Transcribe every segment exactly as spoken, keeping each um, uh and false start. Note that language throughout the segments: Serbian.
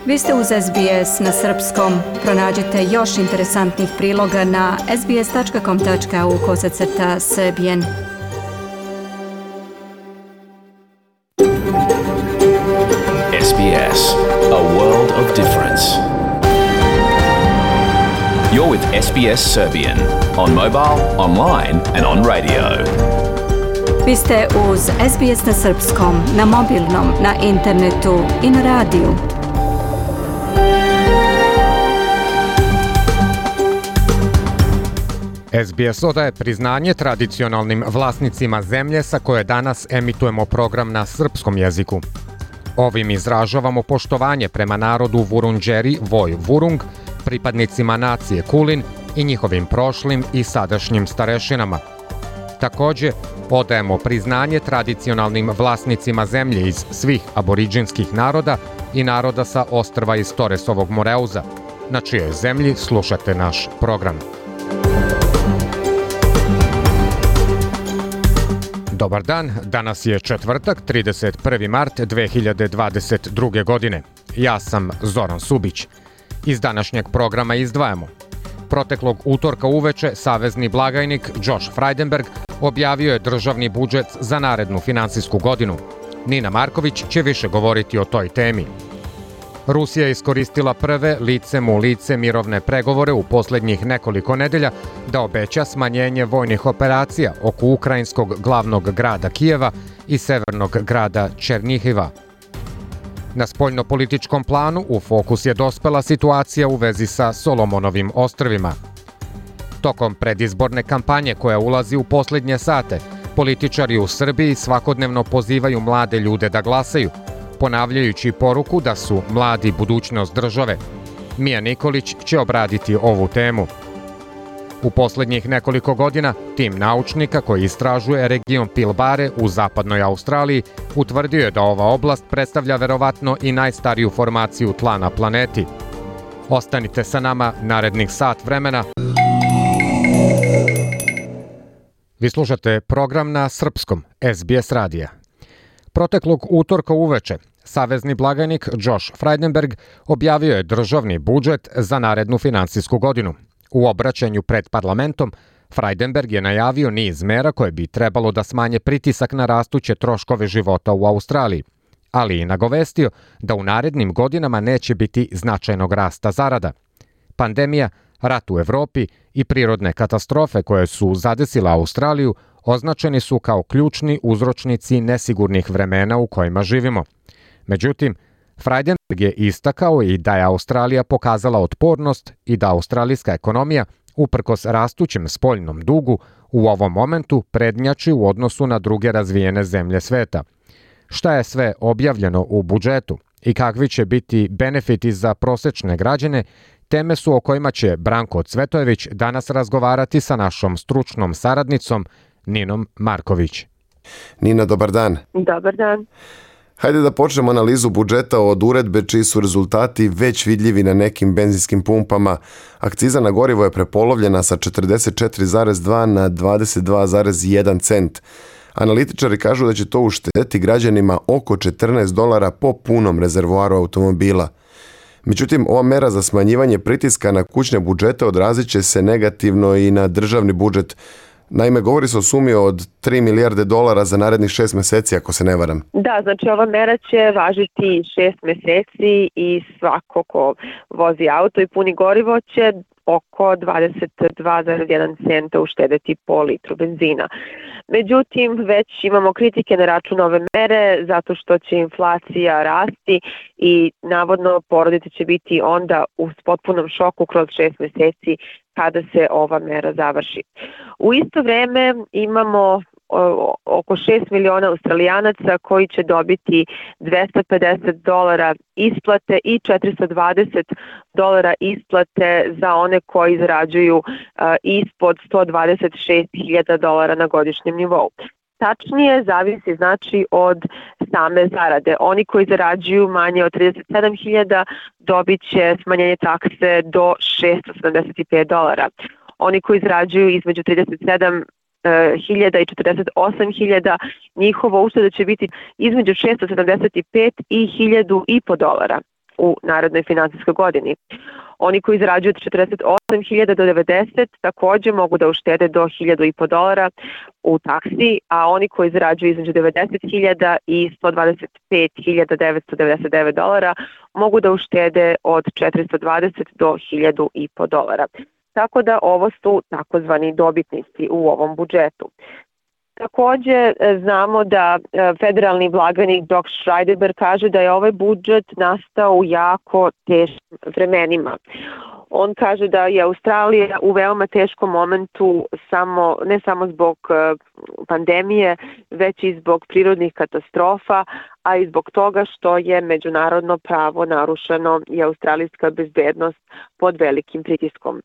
Vi ste uz S B S na srpskom. Pronađite još interesantnih priloga na sbs.com.au kosacrta srbijen. S B S, a world of difference. You're with S B S Serbian on mobile, online and on radio. Vi ste uz S B S na srpskom, na mobilnom, na internetu i na radiju. S B S odaje priznanje tradicionalnim vlasnicima zemlje sa koje danas emitujemo program na srpskom jeziku. Ovim izražavamo poštovanje prema narodu Vurundjeri Voj Vurung, pripadnicima nacije Kulin i njihovim prošlim i sadašnjim starešinama. Takođe, odajemo priznanje tradicionalnim vlasnicima zemlje iz svih aboriđinskih naroda i naroda sa ostrva iz Toresovog Moreuza, na čijoj zemlji slušate naš program. Dobar dan, danas je četvrtak, trideset prvi mart dve hiljade dvadeset druge. godine. Ja sam Zoran Subić. Iz današnjeg programa izdvajamo. Proteklog utorka uveče savezni blagajnik Josh Frydenberg objavio je državni budžet za narednu finansijsku godinu. Nina Marković će više govoriti o toj temi. Rusija je iskoristila prve licem u lice mirovne pregovore u posljednjih nekoliko nedelja da obeća smanjenje vojnih operacija oko ukrajinskog glavnog grada Kijeva i severnog grada Černihiva. Na spoljnopolitičkom planu u fokus je dospela situacija u vezi sa Solomonovim ostrvima. Tokom predizborne kampanje koja ulazi u posljednje sate, političari u Srbiji svakodnevno pozivaju mlade ljude da glasaju, ponavljajući poruku da su mladi budućnost države. Mija Nikolić će obraditi ovu temu. U posljednjih nekoliko godina tim naučnika koji istražuje region Pilbare u zapadnoj Australiji utvrdio je da ova oblast predstavlja verovatno i najstariju formaciju tla na planeti. Ostanite sa nama narednih sat vremena. Vi slušate program na srpskom S B S radija. Proteklog utorka uveče savezni blagajnik Josh Frydenberg objavio je državni budžet za narednu finansijsku godinu. U obraćanju pred parlamentom, Frydenberg je najavio niz mera koje bi trebalo da smanje pritisak na rastuće troškove života u Australiji, ali i nagovestio da u narednim godinama neće biti značajnog rasta zarada. Pandemija, rat u Evropi i prirodne katastrofe koje su zadesile Australiju označeni su kao ključni uzročnici nesigurnih vremena u kojima živimo. Međutim, Frydenberg je istakao i da je Australija pokazala otpornost i da australijska ekonomija, uprkos rastućem spoljnom dugu, u ovom momentu prednjači u odnosu na druge razvijene zemlje sveta. Šta je sve objavljeno u budžetu i kakvi će biti benefiti za prosečne građane, teme su o kojima će Branko Cvetojević danas razgovarati sa našom stručnom saradnicom Ninom Marković. Nina, dobar dan. Dobar dan. Hajde da počnemo analizu budžeta od uredbe čiji su rezultati već vidljivi na nekim benzinskim pumpama. Akciza na gorivo je prepolovljena sa četrdeset četiri zarez dva na dvadeset dva zarez jedan cent. Analitičari kažu da će to uštedeti građanima oko četrnaest dolara po punom rezervoaru automobila. Međutim, ova mera za smanjivanje pritiska na kućne budžete odrazit će se negativno i na državni budžet. Naime, govori se o sumi od tri milijarde dolara za narednih šest meseci, ako se ne varam. Da, znači ova mera će važiti šest meseci i svako ko vozi auto i puni gorivo će oko dvadeset dva zarez jedan centa uštedeti po litru benzina. Međutim, već imamo kritike na račun ove mere zato što će inflacija rasti i navodno porodice će biti onda u potpunom šoku kroz šest meseci kada se ova mera završi. U isto vreme imamo oko šest miliona Australijanaca koji će dobiti dvesta pedeset dolara isplate i četiristo dvadeset dolara isplate za one koji zarađuju uh, ispod sto dvadeset šest hiljada dolara na godišnjem nivou. Tačnije, zavisi znači od same zarade. Oni koji zarađuju manje od trideset sedam hiljada dobit će smanjenje takse do šesto sedamdeset pet dolara. Oni koji zarađuju između trideset sedam hiljada i četrdeset osam hiljada, njihova ušteda će biti između šesto sedamdeset pet i hiljadu i po dolara. u narednoj finansijskoj godini. Oni koji zarađuju od četrdeset osam hiljada do devedeset takođe mogu da uštede do hiljadu i po dolara u taksi, a oni koji zarađuju između devedeset hiljada i sto dvadeset pet hiljada devetsto devedeset devet dolara mogu da uštede od četiristo dvadeset do hiljadu i po dolara. Tako da ovo su takozvani dobitnici u ovom budžetu. Takođe znamo da federalni blagajnik Doug Schreiber kaže da je ovaj budžet nastao u jako teškim vremenima. On kaže da je Australija u veoma teškom momentu samo, ne samo zbog pandemije, već i zbog prirodnih katastrofa, a i zbog toga što je međunarodno pravo narušeno i australijska bezbednost pod velikim pritiskom.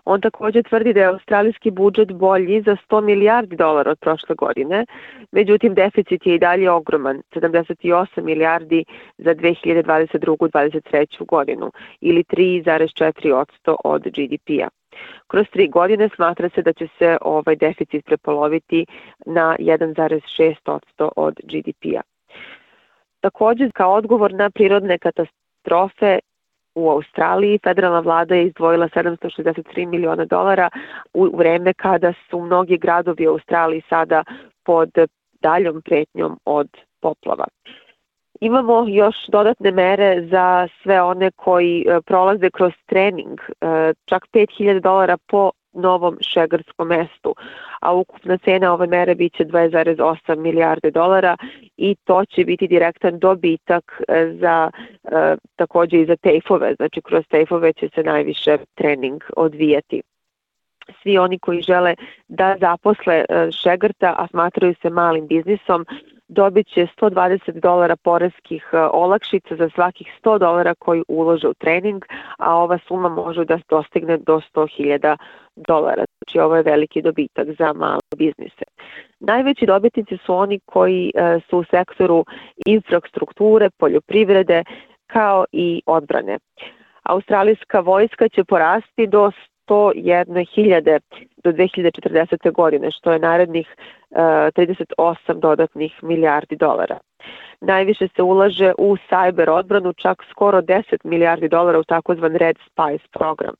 On takođe tvrdi da je australijski budžet bolji za sto milijardi dolara od prošle godine, međutim deficit je i dalje ogroman, sedamdeset osam milijardi za dve hiljade dvadeset drugu dvadeset treću godinu ili tri zarez četiri posto od G D P-a. Kroz tri godine smatra se da će se ovaj deficit prepoloviti na jedan zarez šest posto od G D P-a. Takođe, kao odgovor na prirodne katastrofe u Australiji, federalna vlada je izdvojila sedamsto šezdeset tri miliona dolara u vreme kada su mnogi gradovi u Australiji sada pod daljom pretnjom od poplava. Imamo još dodatne mere za sve one koji prolaze kroz trening, čak pet hiljada dolara po novom šegarskom mestu, a ukupna cena ove mere biće dva zarez osam milijarde dolara i to će biti direktan dobitak za takođe i za tejfove, znači kroz tejfove će se najviše trening odvijati. Svi oni koji žele da zaposle šegrta, a smatraju se malim biznisom, dobit će sto dvadeset dolara poreskih olakšica za svakih sto dolara koji ulože u trening, a ova suma može da dostigne do sto hiljada dolara. Znači ovo je veliki dobitak za male biznise. Najveći dobitnici su oni koji su u sektoru infrastrukture, poljoprivrede kao i odbrane. Australijska vojska će porasti do sto jedne hiljade do dve hiljade četrdesete. godine, što je narednih trideset osam dodatnih milijardi dolara. Najviše se ulaže u cyber odbranu, čak skoro deset milijardi dolara u takozvan Red Spice program.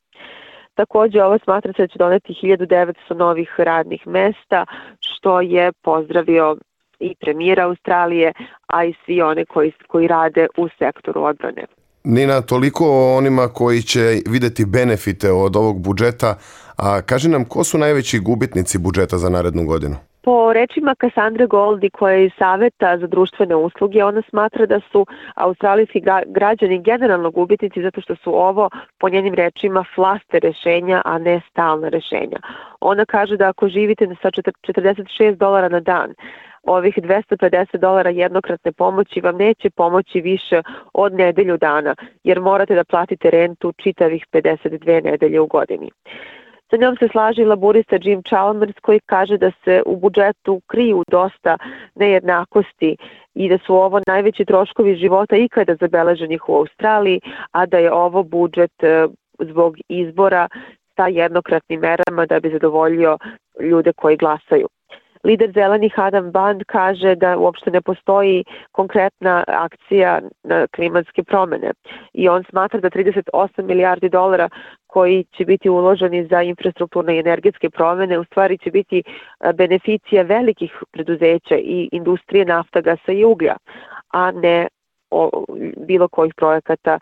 Takođe, ovo smatra se da će doneti hiljadu devetsto novih radnih mesta, što je pozdravio i premijer Australije, a i svi one koji, koji rade u sektoru odbrane. Nina, toliko o onima koji će videti benefite od ovog budžeta, a kaži nam ko su najveći gubitnici budžeta za narednu godinu? Po rečima Cassandre Goldie, koja je iz Saveta za društvene usluge, ona smatra da su australijski građani generalno gubitnici zato što su ovo, po njenim rečima, flaster rešenja, a ne stalna rešenja. Ona kaže da ako živite sa četrdeset šest dolara na dan, ovih dvesta pedeset dolara jednokratne pomoći vam neće pomoći više od nedelju dana, jer morate da platite rentu čitavih pedeset dve nedelje u godini. Sa njom se slaže i laburista Jim Chalmers, koji kaže da se u budžetu kriju dosta nejednakosti i da su ovo najveći troškovi života ikada zabeleženih u Australiji, a da je ovo budžet zbog izbora sa jednokratnim merama da bi zadovoljio ljude koji glasaju. Lider zelenih Adam Band kaže da uopšte ne postoji konkretna akcija na klimatske promene i on smatra da trideset osam milijardi dolara koji će biti uloženi za infrastrukturne i energetske promene u stvari će biti beneficija velikih preduzeća i industrije nafta, gasa i uglja, a ne o bilo kojih projekata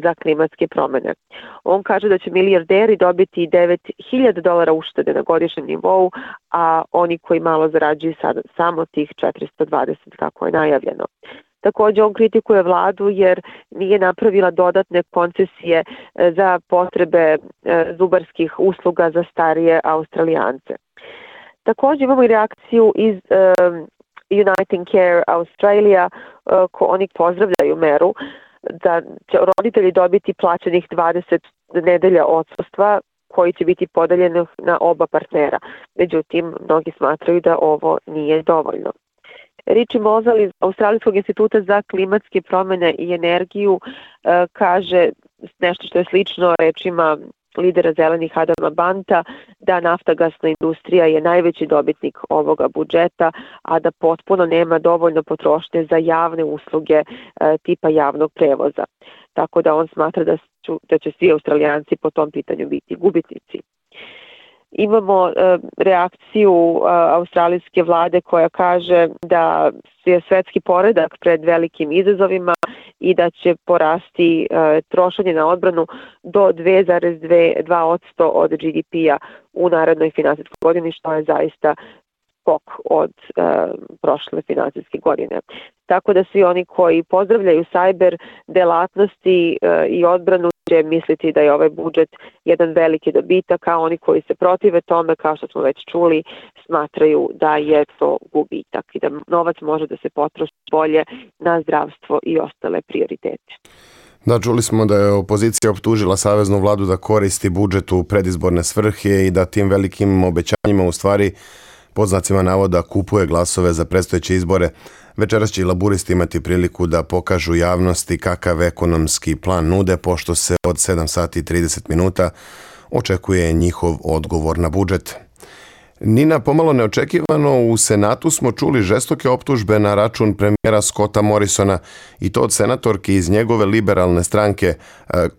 za klimatske promene. On kaže da će milijarderi dobiti devet hiljada dolara uštede na godišnjem nivou, a oni koji malo zarađuju sad samo tih četiristo dvadeset kako je najavljeno. Takođe on kritikuje vladu jer nije napravila dodatne koncesije za potrebe zubarskih usluga za starije Australijance. Takođe imamo i reakciju iz Uniting Care Australia, ko oni pozdravljaju meru da će roditelji dobiti plaćenih dvadeset nedelja odsustva koji će biti podeljeni na oba partnera. Međutim, mnogi smatraju da ovo nije dovoljno. Richie Mosel iz Australijskog instituta za klimatske promene i energiju kaže nešto što je slično rečima lidera zelenih Adama Banta, da naftagasna industrija je najveći dobitnik ovoga budžeta, a da potpuno nema dovoljno potrošnje za javne usluge e, tipa javnog prevoza. tako da on smatra da, ću, da će svi Australijanci po tom pitanju biti gubitnici. Imamo e, reakciju e, australijske vlade koja kaže da je svetski poredak pred velikim izazovima i da će porasti e, trošenje na odbranu do dva zarez dva posto od G D P-a u narednoj finansijskoj godini, što je zaista skok od e, prošle finansijske godine. Tako da svi oni koji pozdravljaju sajber delatnosti e, i odbranu će misliti da je ovaj budžet jedan veliki dobitak, a oni koji se protive tome, kao što smo već čuli, smatraju da je to gubitak i da novac može da se potroši bolje na zdravstvo i ostale prioritete. Da, čuli smo da je opozicija optužila saveznu vladu da koristi budžet u predizborne svrhe i da tim velikim obećanjima u stvari pod znacima navoda kupuje glasove za predstojeće izbore. Večeras će i laburisti imati priliku da pokažu javnosti kakav ekonomski plan nude, pošto se od sedam sati i trideset minuta očekuje njihov odgovor na budžet. Nina, pomalo neočekivano, u Senatu smo čuli žestoke optužbe na račun premijera Scotta Morrisona i to od senatorki iz njegove liberalne stranke.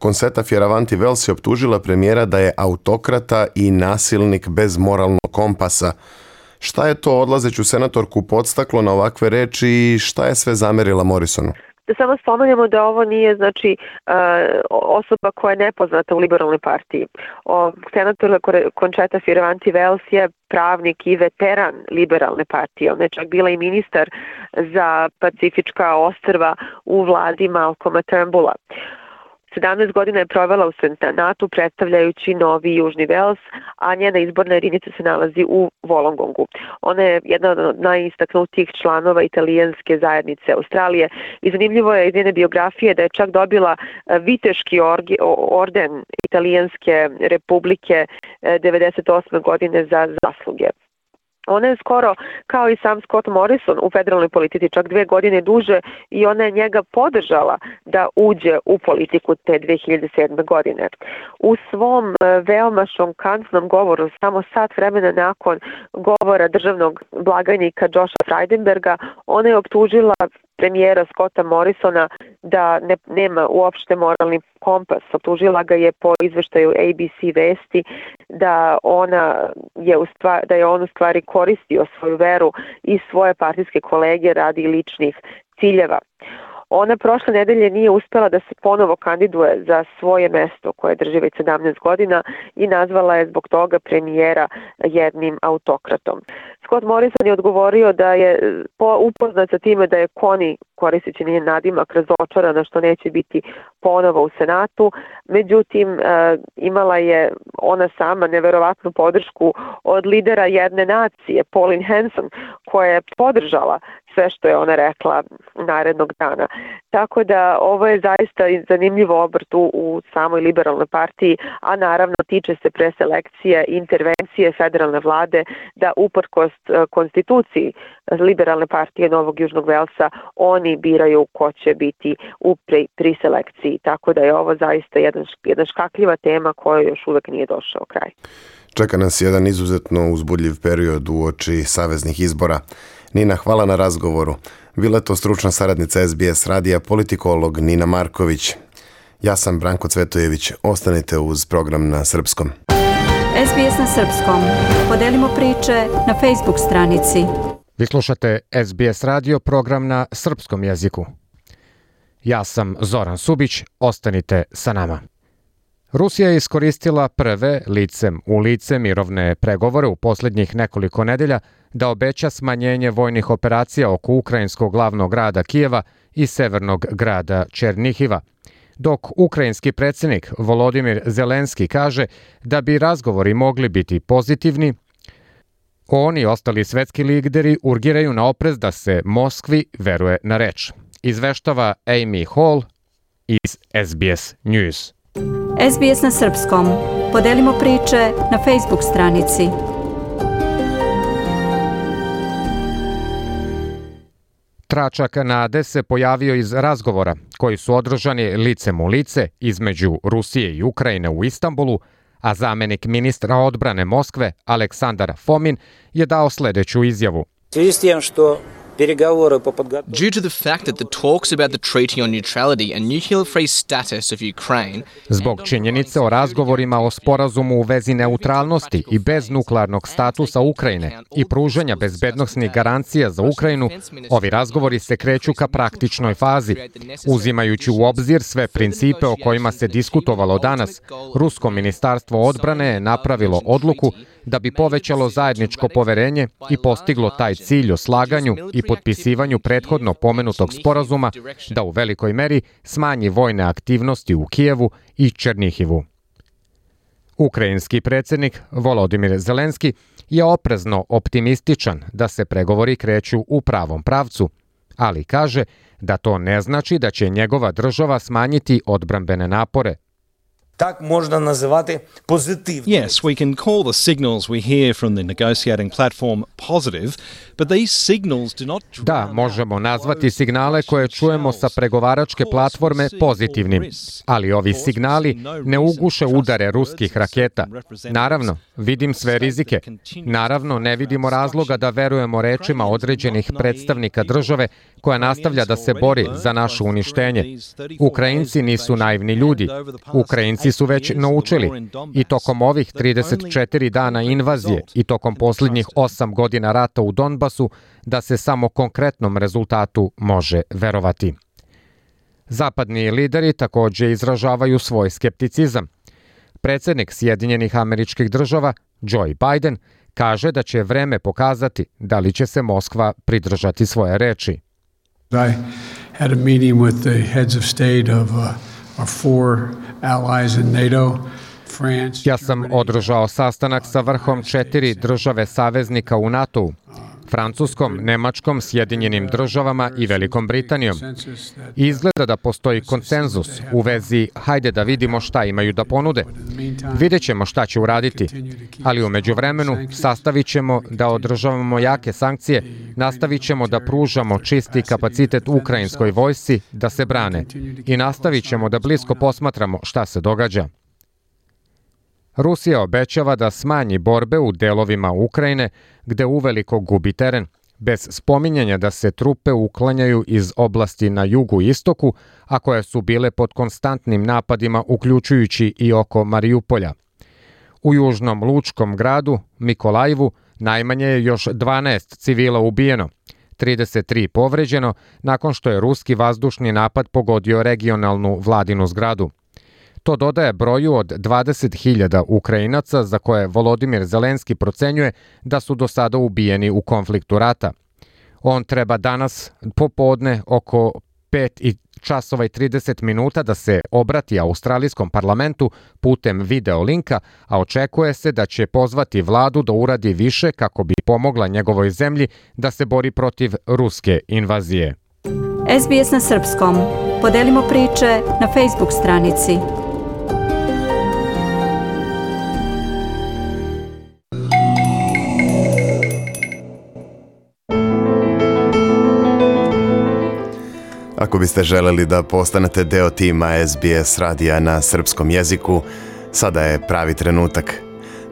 Concetta Fierravanti-Wells je optužila premijera da je autokrata i nasilnik bez moralnog kompasa. Šta je to odlazeću senatorku podstaklo na ovakve reči i šta je sve zamerila Morrisonu? Da samo spomenemo da ovo nije znači osoba koja je nepoznata u liberalnoj partiji. O, senator Concetta Fierravanti-Wells je pravnik i veteran liberalne partije. Ona je čak bila i ministar za Pacifička ostrva u vladi Malcolma Turnbulla. sedamnaest godina je provela u Senatu predstavljajući Novi Južni Vels, a njena izborna jedinica se nalazi u Wollongongu. Ona je jedna od najistaknutijih članova italijanske zajednice Australije i zanimljivo je iz njene biografije da je čak dobila viteški orden Italijanske republike devedeset osme godine za zasluge. Ona je skoro, kao i sam Scott Morrison, u federalnoj politici čak dve godine duže i ona je njega podržala da uđe u politiku te dve hiljade sedme godine. U svom veoma šokantnom govoru, samo sat vremena nakon govora državnog blagajnika Josha Frydenberga, ona je optužila premijera Scotta Morrisona da ne, nema uopšte moralni kompas. Optužila ga je po izveštaju A B C vesti da, ona je u stvari, da je on u stvari koristio svoju veru i svoje partijske kolege radi ličnih ciljeva. Ona prošle nedelje nije uspela da se ponovo kandiduje za svoje mesto koje drži već sedamnaest godina i nazvala je zbog toga premijera jednim autokratom. Scott Morrison je odgovorio da je upoznat sa time da je Connie, koristeći njen nadimak, razočarana što neće biti ponovo u Senatu. Međutim, imala je ona sama neverovatnu podršku od lidera jedne nacije, Pauline Hanson, koja je podržala sve što je ona rekla narednog dana. Tako da ovo je zaista zanimljivo obrt u, u samoj liberalnoj partiji, a naravno tiče se preselekcije i intervencije federalne vlade da uprkos konstituciji liberalne partije Novog Južnog Velsa oni biraju ko će biti u pri, priselekciji. Tako da je ovo zaista jedan, jedna škakljiva tema koja još uvek nije došao kraj. Čeka nas jedan izuzetno uzbudljiv period uoči saveznih izbora. Nina, hvala na razgovoru. Bila je to stručna saradnica S B S radija, politikolog Nina Marković. Ja sam Branko Cvetojević. Ostanite uz program na srpskom. S B S na srpskom. Podelimo priče na Facebook stranici. Vi slušate S B S radio, program na srpskom jeziku. Ja sam Zoran Subić. Ostanite sa nama. Rusija je iskoristila prve licem u lice mirovne pregovore u posljednjih nekoliko nedelja da obeća smanjenje vojnih operacija oko ukrajinskog glavnog grada Kijeva i severnog grada Černihiva, dok ukrajinski predsjednik Volodimir Zelenski kaže da bi razgovori mogli biti pozitivni. On i ostali svetski lideri urgiraju na oprez da se Moskvi veruje na reč. Izveštava Amy Hall iz S B S News. S B S na srpskom. Podelimo priče na Facebook stranici. Tračak nade se pojavio iz razgovora koji su održani licem u lice između Rusije i Ukrajine u Istanbulu, a zamenik ministra odbrane Moskve Aleksandar Fomin je dao sljedeću izjavu. В связи с тем, что Due to the fact that the talks about the Treaty on Neutrality and nuclear-free status of Ukraine. Zbog činjenice o razgovorima o sporazumu u vezi neutralnosti i bez nuklearnog statusa Ukrajine i pružanja bezbednosnih garancija za Ukrajinu, ovi razgovori se kreću ka praktičnoj fazi. Uzimajući u obzir sve principe o kojima se diskutovalo danas, Rusko ministarstvo odbrane je napravilo odluku da bi povećalo zajedničko poverenje i postiglo taj cilj o slaganju i potpisivanju prethodno pomenutog sporazuma da u velikoj meri smanji vojne aktivnosti u Kijevu i Černihivu. Ukrajinski predsjednik Volodimir Zelenski je oprezno optimističan da se pregovori kreću u pravom pravcu, ali kaže da to ne znači da će njegova država smanjiti odbrambene napore. Так можна називати позитивними. Yes, we can call the signals we hear from the negotiating platform positive, but these signals do not. Da, možemo nazvati signale koje čujemo sa pregovaračke platforme pozitivnim, ali ovi signali ne uguše udare ruskih raketa. Naravno, vidim sve rizike. Naravno, ne vidimo razloga da verujemo rečima određenih predstavnika države koja nastavlja da se bori za naše uništenje. Ukrajinci nisu naivni ljudi. Ukrajinci su već naučili i tokom ovih trideset četiri dana invazije i tokom posljednjih osam godina rata u Donbasu da se samo konkretnom rezultatu može verovati. Zapadni lideri također izražavaju svoj skepticizam. Predsjednik Sjedinjenih Američkih Država, Joe Biden, kaže da će vreme pokazati da li će se Moskva pridržati svoje reči. I had a meeting with the heads of state of uh, our four allies in NATO. Ja sam održao sastanak sa vrhom četiri države saveznika u NATO-u, Francuskom, Nemačkom, Sjedinjenim državama i Velikom Britanijom. Izgleda da postoji konsenzus u vezi hajde da vidimo šta imaju da ponude. Vidjet ćemo šta će uraditi, ali u međuvremenu sastavit ćemo da održavamo jake sankcije, nastavit ćemo da pružamo čisti kapacitet ukrajinskoj vojsci da se brane i nastavit ćemo da blisko posmatramo šta se događa. Rusija obećava da smanji borbe u delovima Ukrajine gde uveliko gubi teren, bez spominjanja da se trupe uklanjaju iz oblasti na jugu i istoku, a koje su bile pod konstantnim napadima uključujući i oko Marijupolja. U južnom lučkom gradu, Mikolajivu, najmanje je još dvanaest civila ubijeno, trideset tri povređeno nakon što je ruski vazdušni napad pogodio regionalnu vladinu zgradu. To dodaje broju od dvadeset hiljada Ukrajinaca za koje Volodimir Zelenski procenjuje da su do sada ubijeni u konfliktu rata. On treba danas popodne oko pet časova i trideset minuta da se obrati australijskom parlamentu putem video linka, a očekuje se da će pozvati vladu da uradi više kako bi pomogla njegovoj zemlji da se bori protiv ruske invazije. S B S na srpskom. Podelimo priče na Facebook stranici. Ako biste želeli da postanete deo tima S B S radija na srpskom jeziku, sada je pravi trenutak.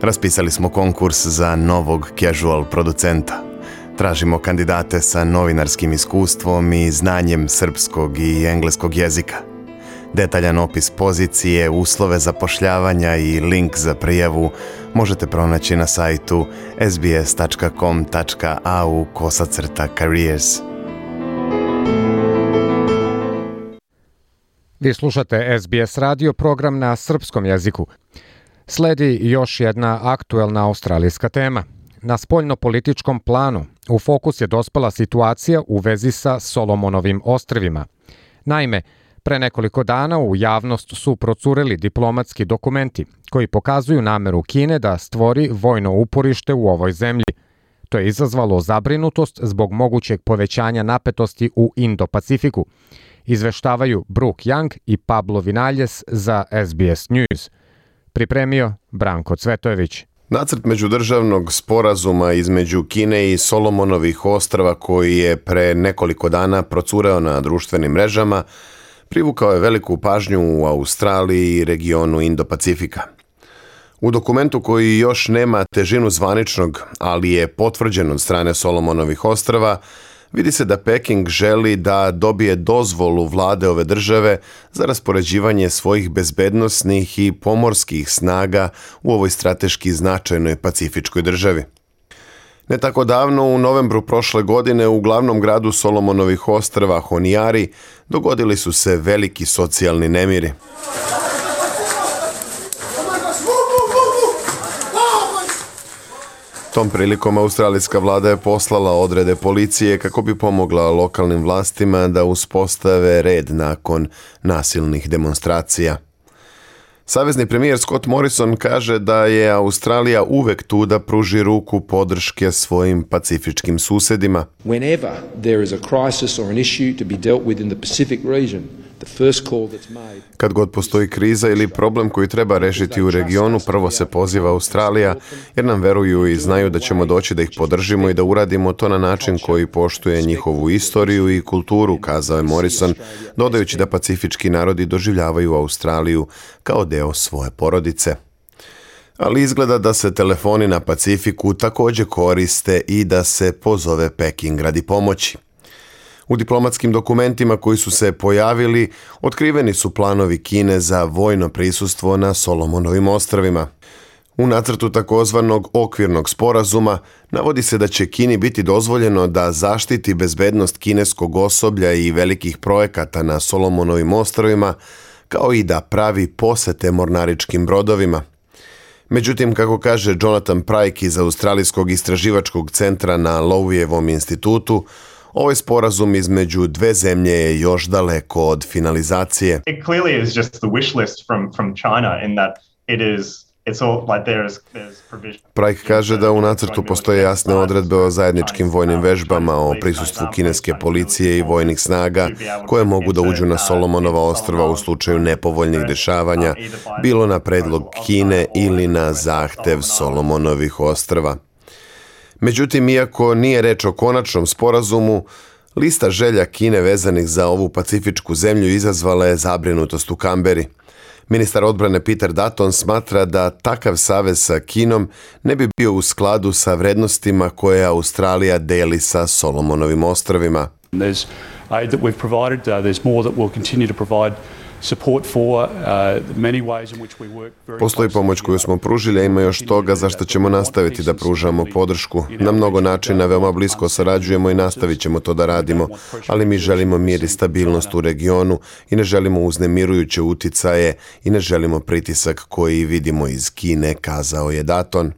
Raspisali smo konkurs za novog casual producenta. Tražimo kandidate sa novinarskim iskustvom i znanjem srpskog i engleskog jezika. Detaljan opis pozicije, uslove zapošljavanja i link za prijavu možete pronaći na sajtu s b s tačka com tačka a u kosacrta careers. Vi slušate S B S radio, program na srpskom jeziku. Sledi još jedna aktuelna australijska tema. Na spoljno-političkom planu u fokus je dospela situacija u vezi sa Solomonovim ostrvima. Naime, pre nekoliko dana u javnost su procureli diplomatski dokumenti koji pokazuju nameru Kine da stvori vojno uporište u ovoj zemlji. To je izazvalo zabrinutost zbog mogućeg povećanja napetosti u Indo-Pacifiku. Izveštavaju Brooke Young i Pablo Vinaljes za S B S News. Pripremio Branko Cvetojević. Nacrt međudržavnog sporazuma između Kine i Solomonovih ostrva koji je pre nekoliko dana procureo na društvenim mrežama privukao je veliku pažnju u Australiji i regionu Indo-Pacifika. U dokumentu koji još nema težinu zvaničnog, ali je potvrđen od strane Solomonovih ostrva, Vidi se da Peking želi da dobije dozvolu vlade ove države za raspoređivanje svojih bezbednosnih i pomorskih snaga u ovoj strateški značajnoj pacifičkoj državi. Ne tako davno, u novembru prošle godine, u glavnom gradu Solomonovih ostrva Honiari dogodili su se veliki socijalni nemiri. Tom prilikom australijska vlada je poslala odrede policije kako bi pomogla lokalnim vlastima da uspostave red nakon nasilnih demonstracija. Savezni premijer Scott Morrison kaže da je Australija uvek tu da pruži ruku podrške svojim pacifičkim susedima. Whenever there is a crisis or an issue to be dealt with in the Pacific region, the first call that's made. Kad god postoji kriza ili problem koji treba rešiti u regionu, prvo se poziva Australija, jer nam veruju i znaju da ćemo doći da ih podržimo i da uradimo to na način koji poštuje njihovu istoriju i kulturu, kazao je Morrison, dodajući da pacifički narodi doživljavaju Australiju kao deo svoje porodice. Ali izgleda da se telefoni na Pacifiku također koriste i da se pozove Peking radi pomoći. U diplomatskim dokumentima koji su se pojavili, otkriveni su planovi Kine za vojno prisustvo na Solomonovim ostrvima. U nacrtu takozvanog okvirnog sporazuma navodi se da će Kini biti dozvoljeno da zaštiti bezbednost kineskog osoblja i velikih projekata na Solomonovim ostrvima, kao i da pravi posete mornaričkim brodovima. Međutim, kako kaže Jonathan Pryke iz Australijskog istraživačkog centra na Lowejevom institutu, ovaj sporazum između dve zemlje je još daleko od finalizacije. It clearly is just the wish list from from China in that it is it's all like there's there's provision. Pryke kaže da u nacrtu postoje jasne odredbe o zajedničkim vojnim vežbama, o prisustvu kineske policije i vojnih snaga koje mogu da uđu na Solomonova ostrva u slučaju nepovoljnih dešavanja, bilo na predlog Kine ili na zahtev Solomonovih ostrva. Međutim, iako nije reč o konačnom sporazumu, lista želja Kine vezanih za ovu pacifičku zemlju izazvala je zabrinutost u Kamberi. Ministar odbrane Peter Dutton smatra da takav savez sa Kinom ne bi bio u skladu sa vrednostima koje Australija deli sa Solomonovim ostrvima. There's aid that we've provided, uh, there's more that we'll continue to provide. Postoji pomoć koju smo pružili, a ima još toga za što ćemo nastaviti da pružamo podršku. Na mnogo načina veoma blisko sarađujemo i nastavit ćemo to da radimo, ali mi želimo mir i stabilnost u regionu i ne želimo uznemirujuće uticaje i ne želimo pritisak koji vidimo iz Kine, kazao je Dutton.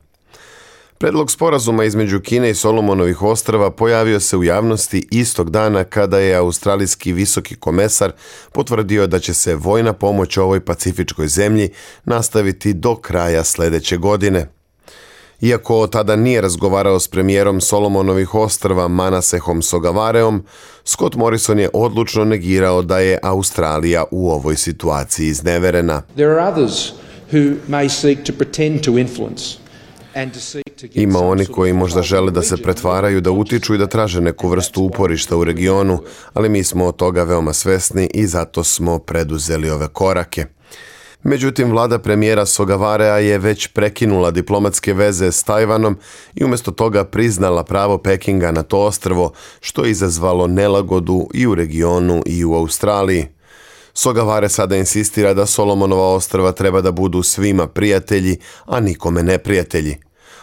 Predlog sporazuma između Kine i Solomonovih ostrva pojavio se u javnosti istog dana kada je australijski visoki komesar potvrdio da će se vojna pomoć ovoj pacifičkoj zemlji nastaviti do kraja sljedeće godine. Iako tada nije razgovarao s premijerom Solomonovih ostrva Manasehom Sogavareom, Scott Morrison je odlučno negirao da je Australija u ovoj situaciji izneverena. There are others who may seek to pretend to influence. Ima oni koji možda žele da se pretvaraju, da utiču i da traže neku vrstu uporišta u regionu, ali mi smo od toga veoma svesni i zato smo preduzeli ove korake. Međutim, vlada premijera Sogavarea je već prekinula diplomatske veze s Tajvanom i umjesto toga priznala pravo Pekinga na to ostrvo, što je izazvalo nelagodu i u regionu i u Australiji. Sogavare sada insistira da Solomonova ostrva treba da budu svima prijatelji, a nikome neprijatelji.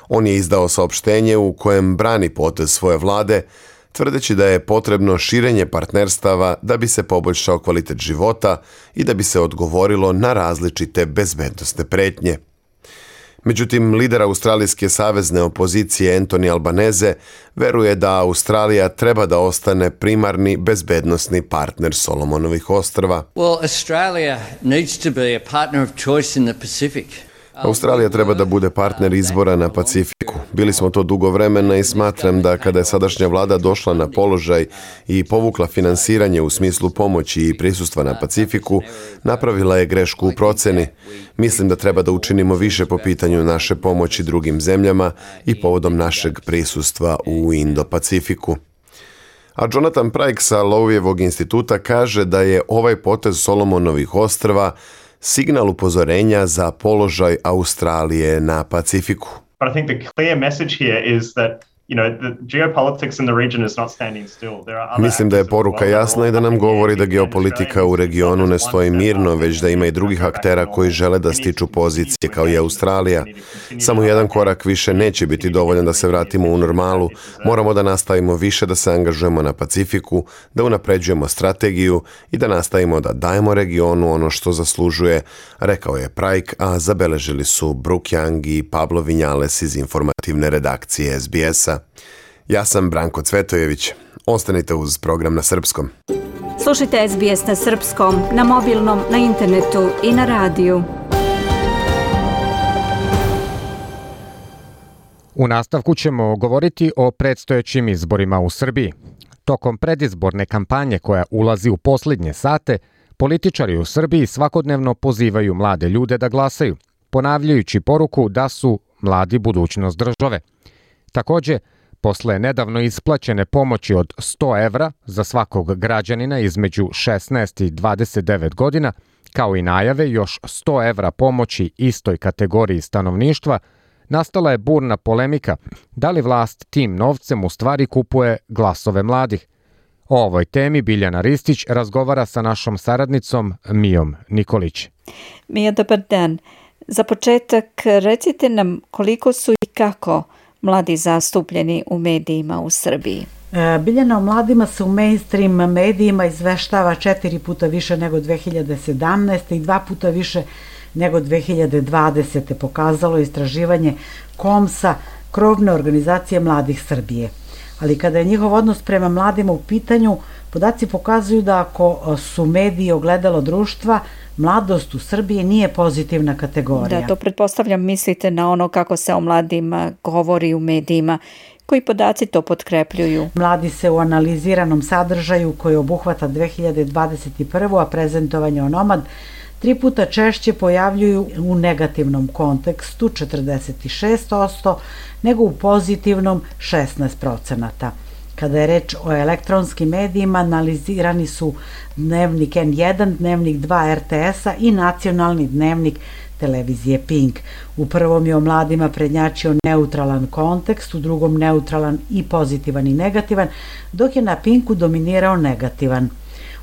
On je izdao saopštenje u kojem brani potez svoje vlade, tvrdeći da je potrebno širenje partnerstava da bi se poboljšao kvalitet života i da bi se odgovorilo na različite bezbednosne pretnje. Međutim, lider australijske savezne opozicije Anthony Albanese veruje da Australija treba da ostane primarni bezbednosni partner Solomonovih ostrva. Well, Australia needs to be a partner of choice in the Pacific. Australija treba da bude partner izbora na Pacifiku. Bili smo to dugo vremena i smatram da kada je sadašnja vlada došla na položaj i povukla finansiranje u smislu pomoći i prisustva na Pacifiku, napravila je grešku u proceni. Mislim da treba da učinimo više po pitanju naše pomoći drugim zemljama i povodom našeg prisustva u Indo-Pacifiku. A Jonathan Pryke sa Lowejevom instituta kaže da je ovaj potez Solomonovih ostrva signal upozorenja za položaj Australije na Pacifiku. But I think the clear message here is that you know, the geopolitics in the region is not standing still. There are other Mislim da je poruka jasna i da nam govori da geopolitika u regionu ne stoji mirno, već da ima i drugih aktera koji žele da stiču pozicije kao i Australija. Samo jedan korak više neće biti dovoljan da se vratimo u normalu. Moramo da nastavimo više da se angažujemo na Pacifiku, da unapređujemo strategiju i da nastavimo da dajemo regionu ono što zaslužuje, rekao je Prajk, a zabeležili su Brooke Young i Pablo Vinjales iz informativne redakcije S B S-a. Ja sam Branko Cvetojević. Ostanite uz program na srpskom. Slušajte S B S na srpskom, na mobilnom, na internetu i na radiju. U nastavku ćemo govoriti o predstojećim izborima u Srbiji. Tokom predizborne kampanje koja ulazi u posljednje sate, političari u Srbiji svakodnevno pozivaju mlade ljude da glasaju, ponavljajući poruku da su mladi budućnost države. Također, posle nedavno isplaćene pomoći od sto evra za svakog građanina između šesnaest i dvadeset devet godina, kao i najave još sto evra pomoći istoj kategoriji stanovništva, nastala je burna polemika da li vlast tim novcem u stvari kupuje glasove mladih. O ovoj temi Biljana Ristić razgovara sa našom saradnicom Mijom Nikolić. Mija, dobar dan. Za početak recite nam koliko su i kako mladi zastupljeni u medijima u Srbiji. Biljana, o mladima se u mainstream medijima izveštava četiri puta više nego dve hiljade sedamnaeste. i dva puta više nego dve hiljade dvadesete. pokazalo istraživanje KOMS-a, krovne organizacije mladih Srbije. Ali kada je njihov odnos prema mladima u pitanju, podaci pokazuju da ako su mediji ogledalo društva, mladost u Srbiji nije pozitivna kategorija. Da, to pretpostavljam mislite na ono kako se o mladima govori u medijima. Koji podaci to potkrepljuju? Mladi se u analiziranom sadržaju koji obuhvata dve hiljade dvadeset prvu. a prezentovanje onomad tri puta češće pojavljuju u negativnom kontekstu četrdeset šest posto nego u pozitivnom šesnaest posto. Kada je reč o elektronskim medijima, analizirani su dnevnik N jedan, dnevnik dva R T S-a i nacionalni dnevnik televizije Pink. U prvom je o mladima prednjačio neutralan kontekst, u drugom neutralan i pozitivan i negativan, dok je na Pinku dominirao negativan.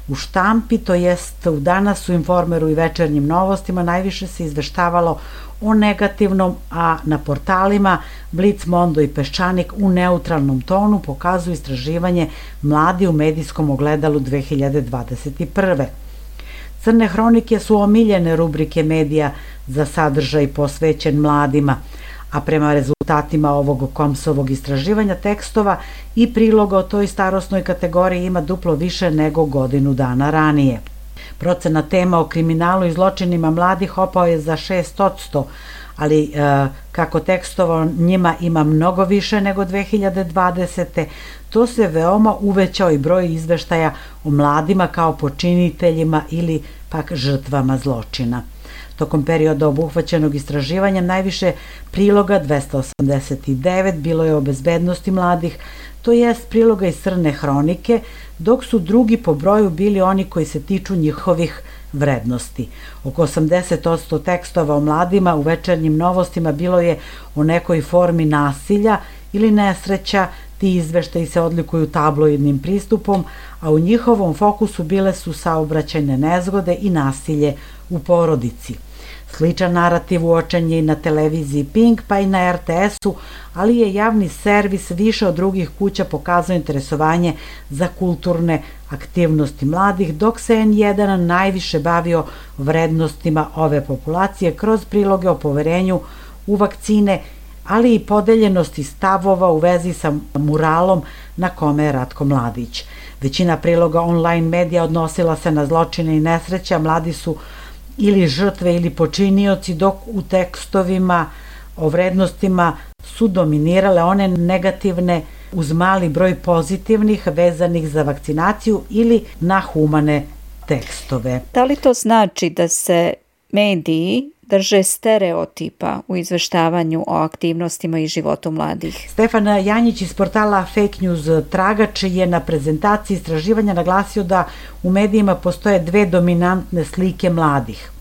U štampi, to jest u Danas, u Informeru i Večernjim novostima, najviše se izveštavalo o negativnom, a na portalima Blic, Mondo i Peščanik u neutralnom tonu pokazuju istraživanje Mladi u medijskom ogledalu dve hiljade dvadeset prve. Crne hronike su omiljene rubrike medija za sadržaj posvećen mladima, a prema rezultatima ovog komsovog istraživanja tekstova i priloga o toj starosnoj kategoriji ima duplo više nego godinu dana ranije. Procena tema o kriminalu i zločinima mladih opao je za šest posto, ali e, kako tekstova njima ima mnogo više nego dve hiljade dvadesete. to se veoma uvećao i broj izveštaja o mladima kao počiniteljima ili pak žrtvama zločina. Tokom perioda obuhvaćenog istraživanja najviše priloga, dvesta osamdeset devet, bilo je o bezbednosti mladih, to jest priloga iz Crne hronike, dok su drugi po broju bili oni koji se tiču njihovih vrednosti. Oko osamdeset posto tekstova o mladima u Večernjim novostima bilo je o nekoj formi nasilja ili nesreća. Ti izveštaji se odlikuju tabloidnim pristupom, a u njihovom fokusu bile su saobraćajne nezgode i nasilje u porodici. Sličan narativ uočen je i na televiziji Pink, pa i na R T S-u, ali je javni servis više od drugih kuća pokazao interesovanje za kulturne aktivnosti mladih, dok se N jedan najviše bavio vrednostima ove populacije kroz priloge o poverenju u vakcine, ali i podeljenosti stavova u vezi sa muralom na kome je Ratko Mladić. Većina priloga online medija odnosila se na zločine i nesreća, mladi su ili žrtve ili počinioci, dok u tekstovima o vrednostima su dominirale one negativne uz mali broj pozitivnih vezanih za vakcinaciju ili na humane tekstove. Da li to znači da se mediji drže stereotipa u izveštavanju o aktivnostima i životu mladih? Stefan Janjić iz portala Fake News Tragač je na prezentaciji istraživanja naglasio da u medijima postoje dve dominantne slike mladih.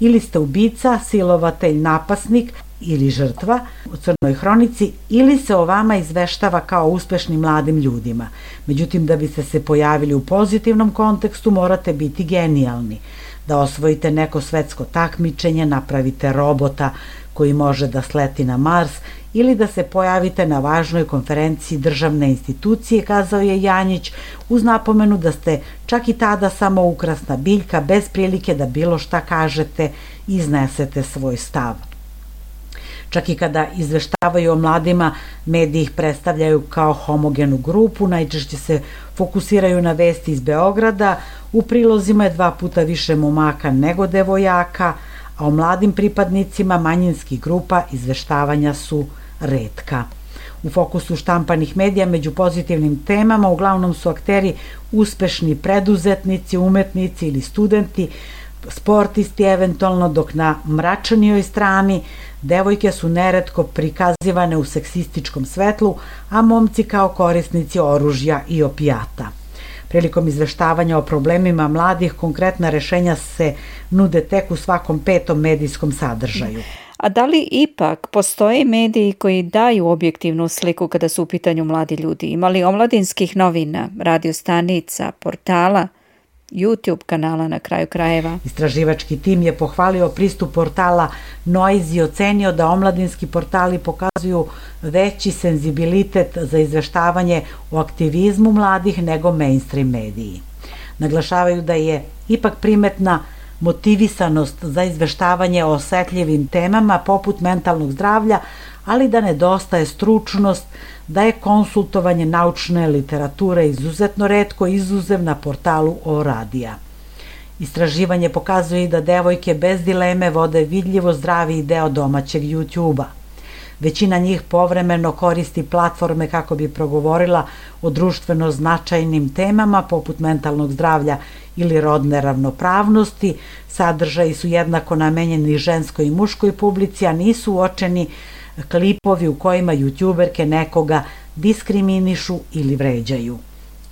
Ili ste ubica, silovatelj, napasnik, ili žrtva u Crnoj hronici ili se o vama izveštava kao uspešnim mladim ljudima. Međutim, da biste se pojavili u pozitivnom kontekstu morate biti genijalni, da osvojite neko svetsko takmičenje, napravite robota koji može da sleti na Mars ili da se pojavite na važnoj konferenciji državne institucije, kazao je Janjić, uz napomenu da ste čak i tada samo ukrasna biljka bez prilike da bilo šta kažete i iznesete svoj stav. Čak i kada izveštavaju o mladima, mediji ih predstavljaju kao homogenu grupu, najčešće se fokusiraju na vesti iz Beograda, u prilozima je dva puta više momaka nego devojaka, a o mladim pripadnicima manjinskih grupa izveštavanja su retka. U fokusu štampanih medija među pozitivnim temama uglavnom su akteri uspešni preduzetnici, umetnici ili studenti, sportisti eventualno, dok na mračnijoj strani devojke su neretko prikazivane u seksističkom svetlu, a momci kao korisnici oružja i opijata. Prilikom izveštavanja o problemima mladih, konkretna rešenja se nude tek u svakom petom medijskom sadržaju. A da li ipak postoje mediji koji daju objektivnu sliku kada su u pitanju mladi ljudi? Ima li omladinskih novina, radio stanica, portala, YouTube kanala na kraju krajeva? Istraživački tim je pohvalio pristup portala Noise i ocenio da omladinski portali pokazuju veći senzibilitet za izveštavanje o aktivizmu mladih nego mainstream mediji. Naglašavaju da je ipak primetna motivisanost za izveštavanje o osetljivim temama poput mentalnog zdravlja, ali da nedostaje stručnost, da je konsultovanje naučne literature izuzetno retko, izuzev na portalu O radija. Istraživanje pokazuje i da devojke bez dileme vode vidljivo zdraviji deo domaćeg YouTube-a. Većina njih povremeno koristi platforme kako bi progovorila o društveno značajnim temama poput mentalnog zdravlja ili rodne ravnopravnosti. Sadržaji su jednako namenjeni ženskoj i muškoj publici, a nisu uočeni klipovi u kojima youtuberke nekoga diskriminišu ili vređaju.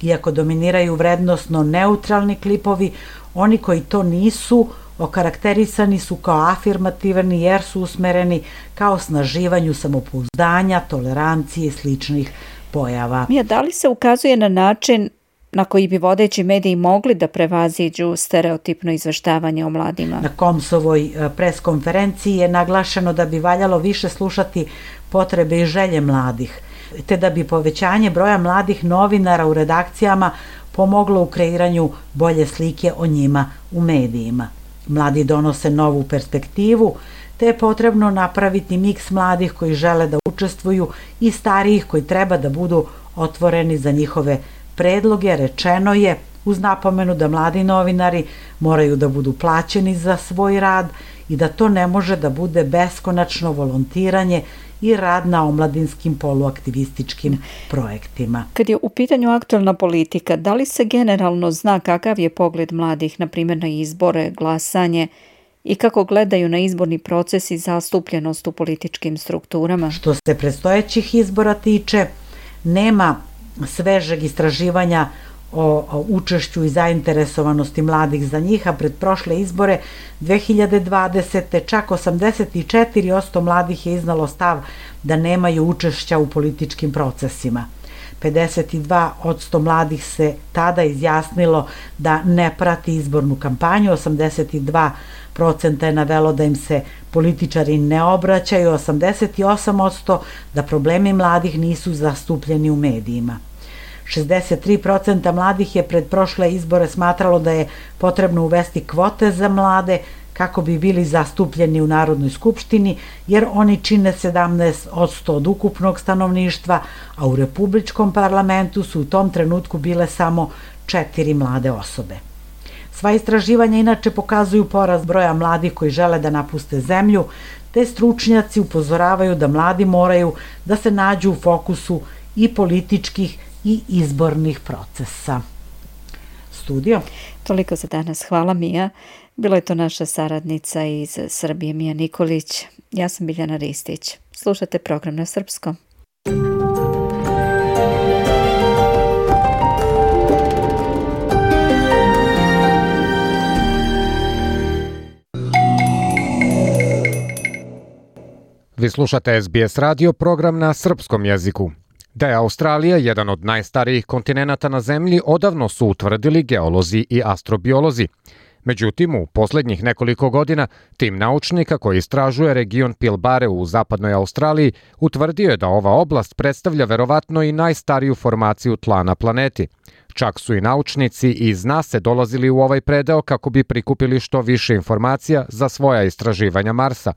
Iako dominiraju vrednosno neutralni klipovi, oni koji to nisu okarakterisani su kao afirmativni jer su usmereni kao osnaživanju samopouzdanja, tolerancije i sličnih pojava. Mija, da li se ukazuje na način na koji bi vodeći mediji mogli da prevaziđu stereotipno izveštavanje o mladima? Na Komsovoj preskonferenciji je naglašeno da bi valjalo više slušati potrebe i želje mladih, te da bi povećanje broja mladih novinara u redakcijama pomoglo u kreiranju bolje slike o njima u medijima. Mladi donose novu perspektivu, te je potrebno napraviti miks mladih koji žele da učestvuju i starijih koji treba da budu otvoreni za njihove predloge. Rečeno je, uz napomenu da mladi novinari moraju da budu plaćeni za svoj rad i da to ne može da bude beskonačno volontiranje i rad na omladinskim poluaktivističkim projektima. Kad je u pitanju aktualna politika, da li se generalno zna kakav je pogled mladih, na primjer na izbore, glasanje i kako gledaju na izborni proces i zastupljenost u političkim strukturama? Što se predstojećih izbora tiče, nema svežeg istraživanja o učešću i zainteresovanosti mladih za njih, a pred prošle izbore dve hiljade dvadesete. čak osamdeset četiri posto mladih je iznalo stav da nemaju učešća u političkim procesima. pedeset dva posto mladih se tada izjasnilo da ne prati izbornu kampanju, osamdeset dva posto je navelo da im se političari ne obraćaju, osamdeset osam posto da problemi mladih nisu zastupljeni u medijima. šezdeset tri posto mladih je pred prošle izbore smatralo da je potrebno uvesti kvote za mlade kako bi bili zastupljeni u Narodnoj skupštini, jer oni čine sedamnaest posto od ukupnog stanovništva, a u Republičkom parlamentu su u tom trenutku bile samo četiri mlade osobe. Sva istraživanja inače pokazuju porast broja mladih koji žele da napuste zemlju, te stručnjaci upozoravaju da mladi moraju da se nađu u fokusu i političkih i izbornih procesa. Studio. Toliko za danas. Hvala, Mija. Bilo je to naša saradnica iz Srbije, Mija Nikolić. Ja sam Biljana Ristić. Slušate program na srpskom. Vi slušate S B S radio, program na srpskom jeziku. Da je Australija jedan od najstarijih kontinenata na zemlji, odavno su utvrdili geolozi i astrobiolozi. Međutim, u posljednjih nekoliko godina tim naučnika koji istražuje region Pilbare u zapadnoj Australiji utvrdio je da ova oblast predstavlja verovatno i najstariju formaciju tla na planeti. Čak su i naučnici iz NASA dolazili u ovaj predeo kako bi prikupili što više informacija za svoja istraživanja Marsa.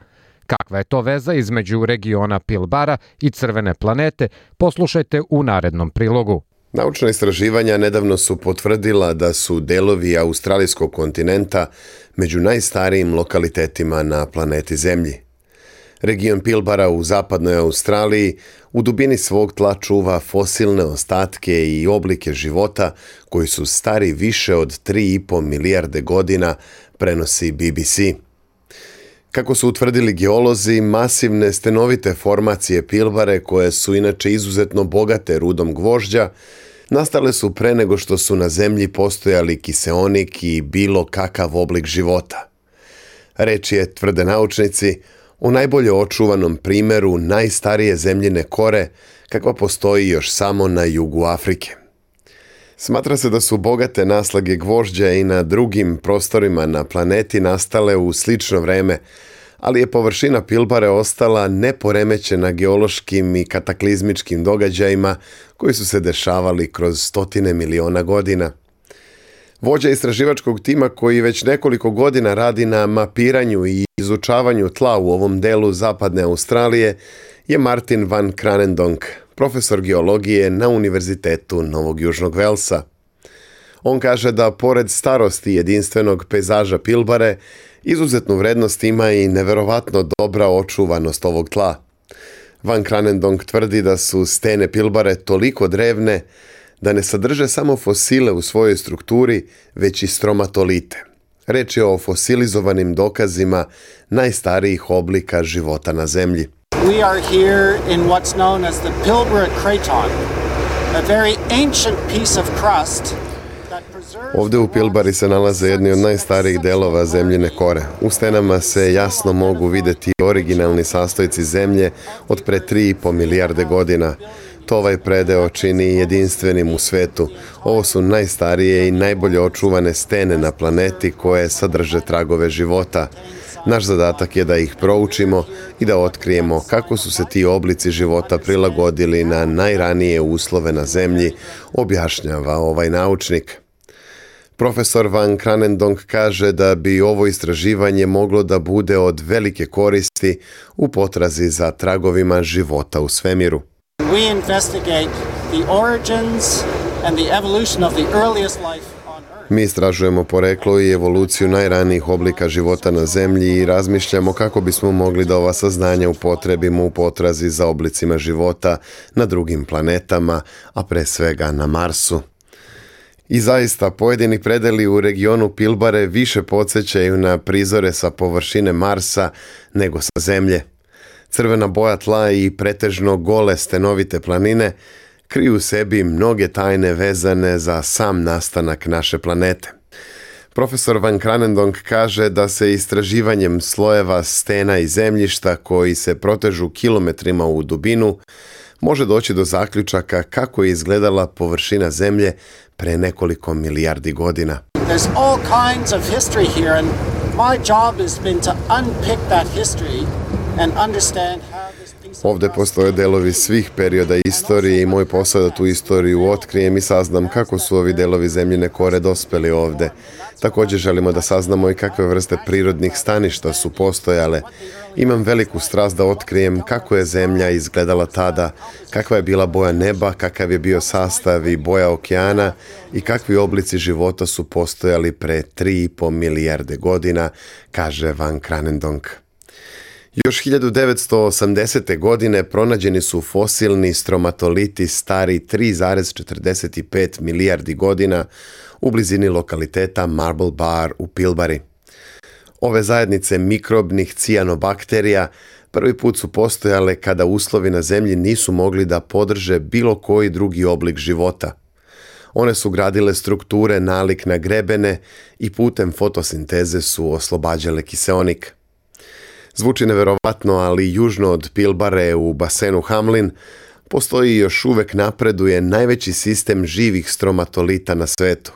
Kakva je to veza između regiona Pilbara i crvene planete, poslušajte u narednom prilogu. Naučna istraživanja nedavno su potvrdila da su delovi australijskog kontinenta među najstarijim lokalitetima na planeti Zemlji. Region Pilbara u zapadnoj Australiji u dubini svog tla čuva fosilne ostatke i oblike života koji su stari više od tri i po milijarde godina, prenosi B B C. Kako su utvrdili geolozi, masivne stenovite formacije Pilbare, koje su inače izuzetno bogate rudom gvožđa, nastale su pre nego što su na zemlji postojali kiseonik i bilo kakav oblik života. Reč je, tvrde naučnici, o najbolje očuvanom primjeru najstarije zemljine kore, kakva postoji još samo na jugu Afrike. Smatra se da su bogate naslage gvožđa i na drugim prostorima na planeti nastale u slično vreme, ali je površina Pilbare ostala neporemećena geološkim i kataklizmičkim događajima koji su se dešavali kroz stotine miliona godina. Vođa istraživačkog tima koji već nekoliko godina radi na mapiranju i izučavanju tla u ovom delu zapadne Australije je Martin van Kranendonk, profesor geologije na Univerzitetu Novog Južnog Velsa. On kaže da pored starosti jedinstvenog pejzaža Pilbare, izuzetnu vrednost ima i neverovatno dobra očuvanost ovog tla. Van Kranendonk tvrdi da su stene Pilbare toliko drevne da ne sadrže samo fosile u svojoj strukturi, već i stromatolite. Reč je o fosilizovanim dokazima najstarijih oblika života na zemlji. We are here in what's known as the Pilbara Craton, a very ancient piece of crust. Ovdje u Pilbari se nalaze jedni od najstarijih delova zemljine kore. U stenama se jasno mogu vidjeti originalni sastojci zemlje od pre tri i po milijarde godina. To ovaj predeo čini jedinstvenim u svetu. Ovo su najstarije i najbolje očuvane stene na planeti koje sadrže tragove života. Naš zadatak je da ih proučimo i da otkrijemo kako su se ti oblici života prilagodili na najranije uslove na zemlji, objašnjava ovaj naučnik. Profesor Van Kranendonk kaže da bi ovo istraživanje moglo da bude od velike koristi u potrazi za tragovima života u svemiru. We investigate the origins and the evolution of the earliest life. Mi istražujemo poreklo i evoluciju najranijih oblika života na zemlji i razmišljamo kako bismo mogli da ova saznanja upotrebimo u potrazi za oblicima života na drugim planetama, a pre svega na Marsu. I zaista, pojedini predeli u regionu Pilbare više podsjećaju na prizore sa površine Marsa nego sa Zemlje. Crvena boja tla i pretežno gole stenovite planine kriju u sebi mnoge tajne vezane za sam nastanak naše planete. Profesor Van Kranendonk kaže da se istraživanjem slojeva stena i zemljišta koji se protežu kilometrima u dubinu može doći do zaključaka kako je izgledala površina Zemlje pre nekoliko milijardi godina. There's all kinds of history here and my job has been to unpick that history and understand how this piece of Ovde postoje delovi svih perioda istorije i moj posao da tu istoriju otkrijem i saznam kako su ovi delovi zemljine kore dospeli ovde. Također želimo da saznamo i kakve vrste prirodnih staništa su postojale. Imam veliku strast da otkrijem kako je zemlja izgledala tada, kakva je bila boja neba, kakav je bio sastav i boja okeana i kakvi oblici života su postojali pre tri i po milijarde godina, kaže Van Kranendonk. Još hiljadu devetsto osamdesete. godine pronađeni su fosilni stromatoliti stari tri zarez četrdeset pet milijardi godina u blizini lokaliteta Marble Bar u Pilbari. Ove zajednice mikrobnih cijanobakterija prvi put su postojale kada uslovi na zemlji nisu mogli da podrže bilo koji drugi oblik života. One su gradile strukture nalik na grebene i putem fotosinteze su oslobađale kiseonik. Zvuči neverovatno, ali južno od Pilbare u basenu Hamlin postoji i još uvek napreduje najveći sistem živih stromatolita na svetu.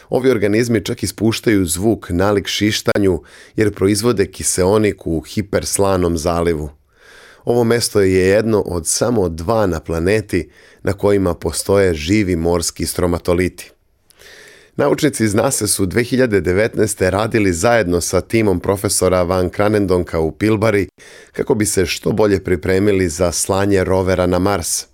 Ovi organizmi čak ispuštaju zvuk nalik šištanju jer proizvode kiseonik u hiperslanom zalivu. Ovo mesto je jedno od samo dva na planeti na kojima postoje živi morski stromatoliti. Naučnici iz NASA su dve hiljade devetnaeste. radili zajedno sa timom profesora Van Kranendonka u Pilbari kako bi se što bolje pripremili za slanje rovera na Mars.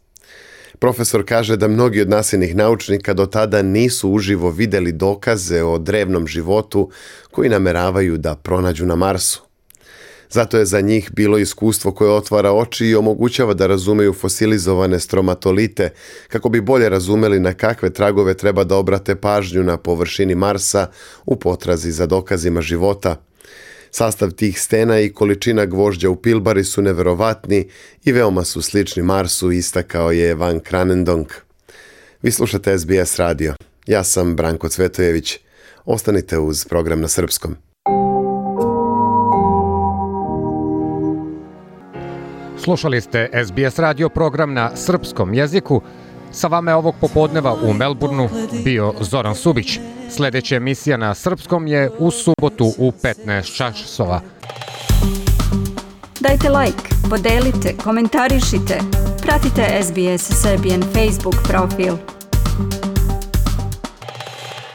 Profesor kaže da mnogi od nasinih naučnika do tada nisu uživo vidjeli dokaze o drevnom životu koji nameravaju da pronađu na Marsu. Zato je za njih bilo iskustvo koje otvara oči i omogućava da razumeju fosilizovane stromatolite kako bi bolje razumeli na kakve tragove treba da obrate pažnju na površini Marsa u potrazi za dokazima života. Sastav tih stena i količina gvožđa u Pilbari su neverovatni i veoma su slični Marsu, istakao je Van Kranendonk. Vi slušate S B S radio. Ja sam Branko Cvetojević. Ostanite uz program na srpskom. Slušali ste S B S radio program na srpskom jeziku. Sa vama je ovog popodneva u Melbourneu bio Zoran Subić. Sljedeća emisija na srpskom je u subotu u petnaest časova. Dajte like, podelite, komentarišite. Pratite S B S Serbian Facebook profil.